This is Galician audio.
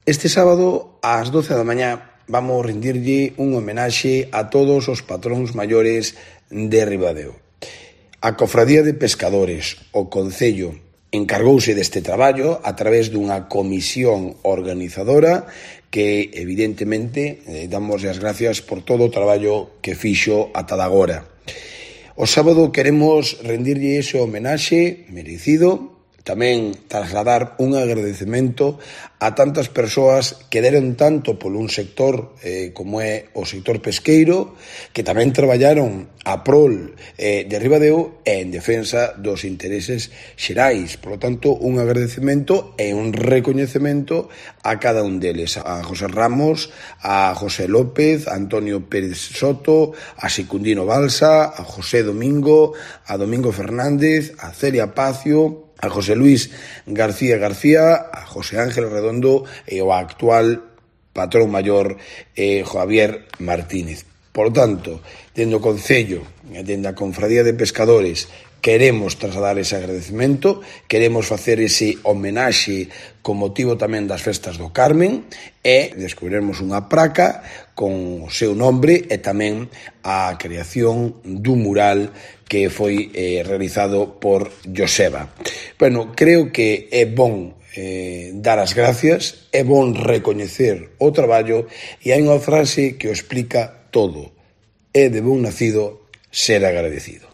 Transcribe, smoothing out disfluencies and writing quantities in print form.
Este sábado, ás 12 da mañá, vamos rendirlle un homenaxe a todos os patróns maiores de Ribadeo. A Cofradía de Pescadores, o Concello, encargouse deste traballo a través dunha comisión organizadora que, evidentemente, damos as gracias por todo o traballo que fixo ata agora. O sábado queremos rendirlle ese homenaxe merecido, tamén trasladar un agradecemento a tantas persoas que deron tanto por un sector como é o sector pesqueiro, que tamén traballaron a prol de Ribadeo e en defensa dos intereses xerais. Por lo tanto, un agradecemento e un recoñecemento a cada un deles. A José Ramos, a José López, a Antonio Pérez Soto, a Secundino Balsa, a José Domingo, a Domingo Fernández, a Celia Pacio, a José Luis García García, a José Ángel Redondo e o actual patrón maior Javier Martínez. Por tanto, dende o Concello, dende a Confradía de Pescadores, queremos trasladar ese agradecemento, queremos facer ese homenaxe con motivo tamén das festas do Carmen e descubriremos unha praca con o seu nombre e tamén a creación dun mural que foi realizado por Joseba. Bueno, creo que é bon dar as gracias, é bon recoñecer o traballo e hai unha frase que o explica todo. É de bon nacido ser agradecido.